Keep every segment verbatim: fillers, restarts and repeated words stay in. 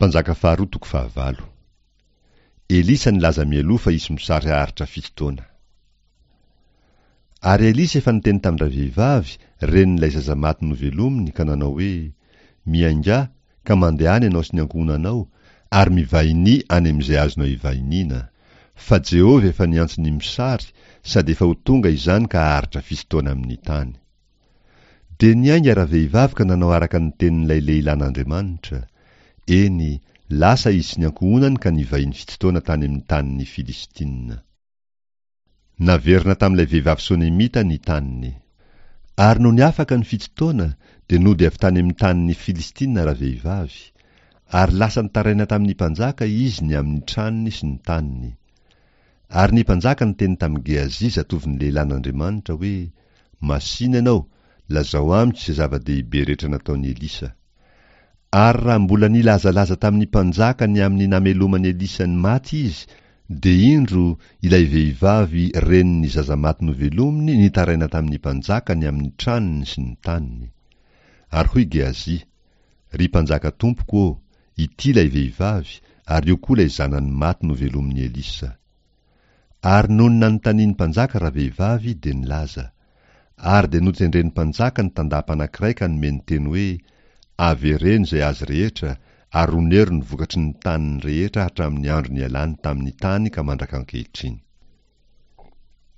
Mpanjaka faharoa toko fahavalo. Elisa nilaza mialoha fa hisy mosary haharitra fito taona. Ary Elisa efa niteny tamin-dravehivavy, renin'ilay zaza maty novelominy, ka nanao hoe, Miaingà, ka mandehana ianao sy ny ankohonanao, ary mivahinia any amin'izay azonao ivahiniana. Fa Jehovah efa niantso ny mosary, sady efa ho tonga izany ka haharitra fito taona amin'ny tany. Dia niainga ravehivavy ka nanao araka ny tenin'ilay lehilahin'Andriamanitra. Eny, lasa izy sy ny ankohonany ka nivahiny fito taona tany amin'ny tanin'ny Filistina. Naverina tamin'ilay vehivavy Sonemita ny taniny. Ary nony afaka ny fito taona, dia nody avy tany amin'ny tanin'ny Filistina ravehivavy. Ary lasa nitaraina tamin'ny mpanjaka izy ny amin'ny tranony sy ny taniny. Ary ny mpanjaka niteny tamin'i Gehazi zatovon'ny lehilahin'Andriamanitra hoe, Masìna ianao, lazao amiko izay zava-dehibe rehetra nataon'i Elisa. Ary raha mbola nilazalaza tamin'ny mpanjaka ny amin'ny nameloman'i Elisa ny maty izy, dia indro, ilay vehivavy renin'ny zaza maty novelominy nitaraina tamin'ny mpanjaka ny amin'ny tranony sy ny taniny. Ary hoy Gehazi, Ry mpanjaka tompoko ô, ity ilay vehivavy, ary io koa ilay zanany maty novelomin'i Elisa. Ary nony nanontanian'ny mpanjaka ravehivavy, dia nilaza. Ary dia notendren'ny mpanjaka ny tandapa anankiray ka nomeny teny hoe, Avereno izay azy rehetra, ary onero ny vokatry ny taniny rehetra hatramin'ny andro nialany tamin'ny tany ka mandrak'ankehitriny.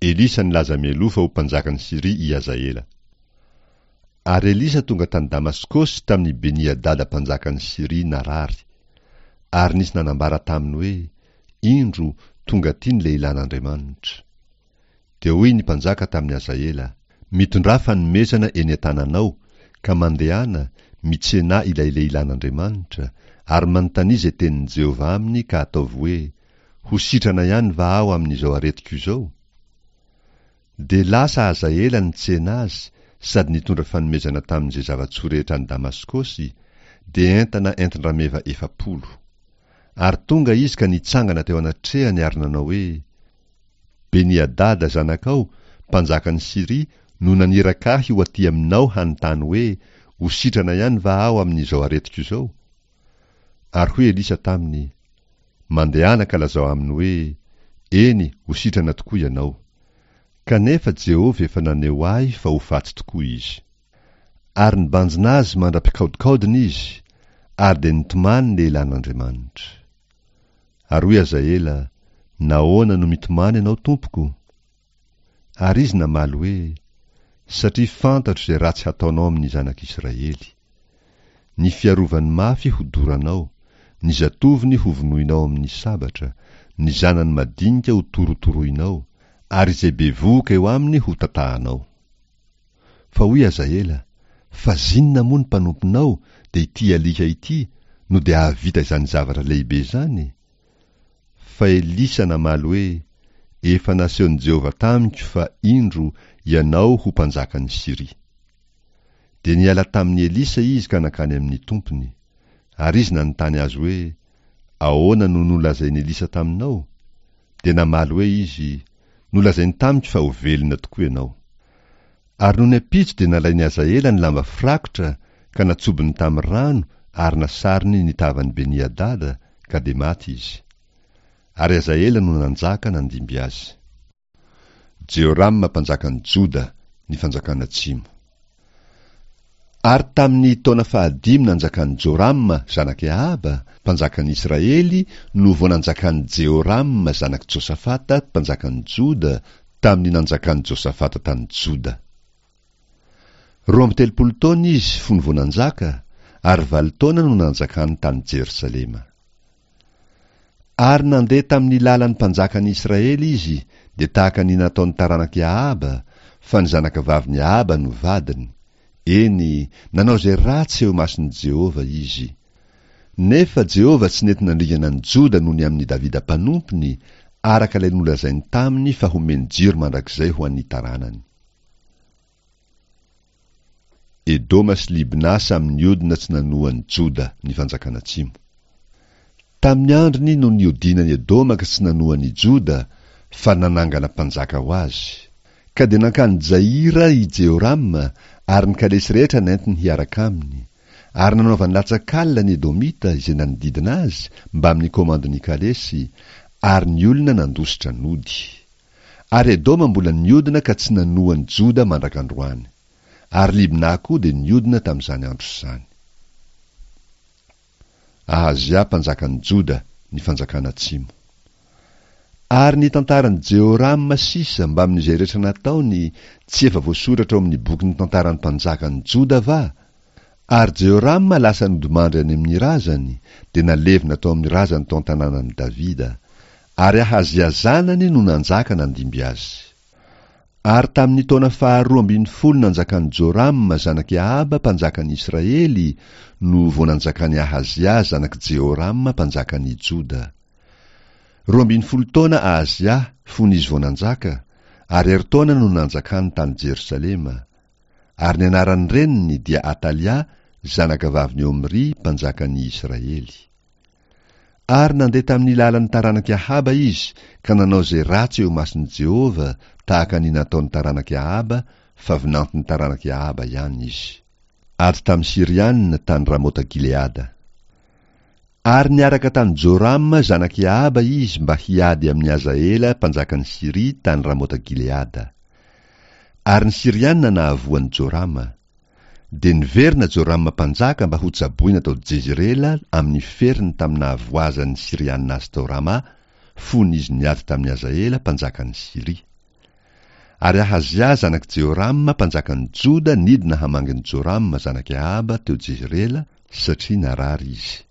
Elisa nilaza mialoha fa ho mpanjakan'i Syria i Hazaela. Ary Elisa tonga tany Damaskosy tamin'i Beni-Hadada mpanjakan'i Syria narary. Ary nisy nanambara taminy hoe, Indro, tonga aty ny lehilahin'Andriamanitra. Dia hoy ny mpanjaka tamin'i Hazaela, Mitondrà fanomezana eny an-tananao, ka mandehana, mitsenà ilay lehilahin'Andriamanitra, ary manontania izay tenin'i Jehovah aminy ka ataovy hoe, Ho sitrana ihany va aho amin'izao aretiko izao? Dia lasa Hazaela nitsena azy sady nitondra fanomezana tamin'izay zava-tsoa rehetra any Damaskosy, dia entana entin-drameva efapolo. Ary tonga izy ka nitsangana teo anatrehany ary nanao hoe, Beni-Hadada zanakao, mpanjakan'i Syria, no naniraka ahy ho aty aminao hanontany hoe, Ho sitrana ihany va aho amin'izao aretiko izao? Ary hoy Elisa taminy, Mandehana ka lazao aminy hoe, Eny, ho sitrana tokoa ianao. Kanefa Jehovah efa naneho ahy fa ho faty tokoa izy. Ary nibanjina azy mandra-pikaodikaodiny izy, ary dia nitomany ny lehilahin'Andriamanitra. Ary hoy Hazaela, Nahoana no mitomany ianao, tompoko? Ary izy namaly hoe, Satria fantatro izay ratsy hataonao amin'ny zanak'Israely. Ny fiarovany mafy hodoranao, ny zatovony hovonoinao amin'ny sabatra, ny zanany madinika hotorotoroinao, ary izay bevohoka eo aminy hotatahanao. Fa hoy Hazaela, Fa zinona moa ny mpanomponao, dia ity alika ity, no dia hahavita izany zavatra lehibe izany? Fa Elisa namaly hoe, Efa nasehon'i Jehovah tamiko fa, indro, ianao ho mpanjakan'i Syria. Dia niala tamin'i Elisa izy ka nankany amin'ny tompony. Ary izy nanontany azy hoe, Ahoana no nolazain'i Elisa taminao? Dia namaly hoe izy, Nolazainy tamiko fa ho velona tokoa ianao. Ary nony ampitso dia nalain'i Hazaela ny lamba firakotra ka natsobony tamin'ny rano ary nasarony ny tavan'i Beni-Hadada, ka dia maty izy. Ary Hazaela no nanjaka nandimby azy. Jehorama mpanjakan'i Joda, ny fanjakana atsimo. Ary tamin'ny taona fahadimy nanjakan'i Jorama zanak'i Ahaba, mpanjakan'i Israely, no vao nanjakan'i Jehorama zanak'i Josafata, mpanjakan'i Joda, tamin'ny nanjakan'i Josafata tany Joda. Roa amby telopolo taona izy fony vao nanjaka, ary valo taona no nanjakany tany Jerosalema. Ary nandeha tamin'ny lalan'ny mpanjakan'i Israely izy, dia tahaka ny nataon'ny taranak'i Ahaba, fa ny zanakavavin'i Ahaba no vadiny. Eny, nanao izay ratsy eo imason'i Jehovah izy. Nefa Jehovah tsy nety nandringana an'i Joda noho ny amin'i Davida mpanompony, araka ilay nolazainy taminy fa homeny jiro mandrakizay ho an'ny taranany. Edoma sy Libna samy niodina tsy nanoa an'i Joda, ny fanjakana atsimo. Tamin'ny androny no niodinan'i Edoma ka tsy nanoa an'i Joda, fa nanangana mpanjaka ho azy. Ka dia nankany Jaira i Jehorama, ary ny kalesy rehetra nentiny hiaraka aminy. Ary nanaovany latsak'alina ny Edomita izay nanodidina azy mbamin'ny komandin'ny kalesy, ary ny olona nandositra nody. Ary Edoma mbola niodina ka tsy nanoa an'i Joda mandrak'androany. Ary Libna koa dia niodina tamin'izany andro izany. Ahazia mpanjakan'i Joda, ny fanjakana atsimo. Ary ny tantaran'i Jehorama sisa mbamin'izay rehetra nataony, tsy efa voasoratra ao amin'ny bokin'ny tantaran'ny mpanjakan'i Joda va? Ary Jehorama lasa nodimandry any amin'ny razany, dia nalevina tao amin'ny razany tao an-tanànan'i Davida. Ary Ahazia zanany no nanjaka nandimby azy. Ary tamin'ny taona faharoa ambin'ny folo nanjakan'i Jorama zanak'i Ahaba mpanjakan'i Israely no vao nanjakan'i Ahazia zanak'i Jehorama mpanjakan'i Joda. Roa ambin'ny folo taona Ahazia fony izy vao nanjaka, ary herintaona no nanjakany tany Jerosalema. Ary ny anaran'ny reniny dia Atalia zanakavavin'i Omry mpanjakan'i Israely. Ary nandeha tamin'ny lalan'ny taranak'i Ahaba izy ka nanao izay ratsy eo imason'i Jehovah tahaka ny nataon'ny taranak'i Ahaba, fa vinanton'ny taranak'i Ahaba ihany izy. Ady tamin'ny Syrianina tany Ramota Gileada. Ary niaraka tamin'i Jorama zanak'i Ahaba izy mba hiady amin'i Hazaela mpanjakan'i Syria tany Ramota Gileada. Ary ny Syrianina nahavoa an'i Jorama. Dia niverina Jorama mpanjaka mba hotsaboina tao Jezirela amin'ny feriny tamin'ny nahavoazan'ny Syrianina azy tao Rama, fony izy niady tamin'i Hazaela mpanjakan'i Syria. Ary Ahazia zanak'i Jehorama mpanjakan'i Joda nidina hamangy an'i Jorama zanak'i Ahaba teo Jezirela, satria narary izy.